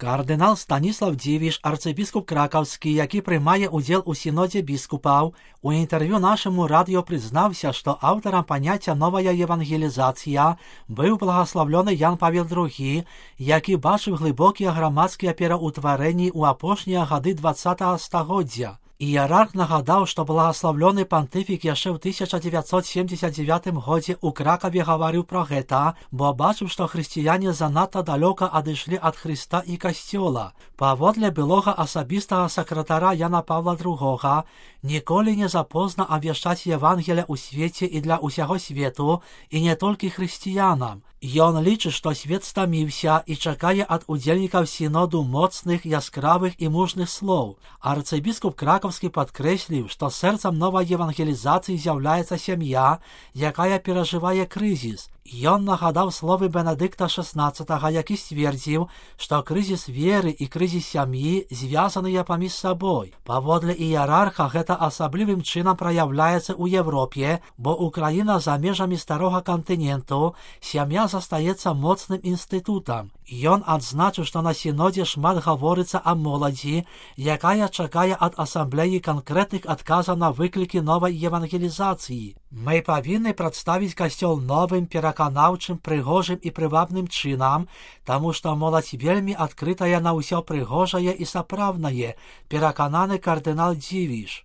Кардинал Станіслав Дівіш, арцибіскуп Краківський, який приймає уділ у синоді біскупів, у інтерв'ю нашому радіо признався, що автором поняття «нова євангелізація» був благословлений Ян Павел II, який бачив глибокі громадські переутворення у опошні годи 20-го століття. Ієрарх нагадав, що благословлений понтифік ще в 1979 році у Кракові говорив про це, бо бачив, що християни занадто далеко одійшли від Христа і Костюла. Поводле білого особистого секретаря Яна Павла II, ніколи не запізно обвіщати Євангелія у світі і для усього світу, і не тільки християнам. Ён лічить, що світ стомився і чекає від удільників синоду моцних, яскравих і мужних слов. Арцибіскуп Краківський підкреслив, що серцем нової євангелізації з'являється сім'я, яка переживає кризис. Ён нагадав слови Бенедикта XVI, який ствердив, що кризис віри і кризис сім'ї зв'язані поміж собою. Поводле ієрарха, це особливим чином проявляється у Європі, бо Україна за межами старого континенту, сім'я застається моцним інститутом. Ён відзначив, що на синоді шмат говориться о молоді, яка чекає від асамблеї конкретних відказів на виклики нової євангелізації. Ми повинні представити Костюл новим, переконавчим, пригожим і привабним чином, тому що молодь вельми відкрита на усе пригожає і справне, переконаний кардинал Дівіш.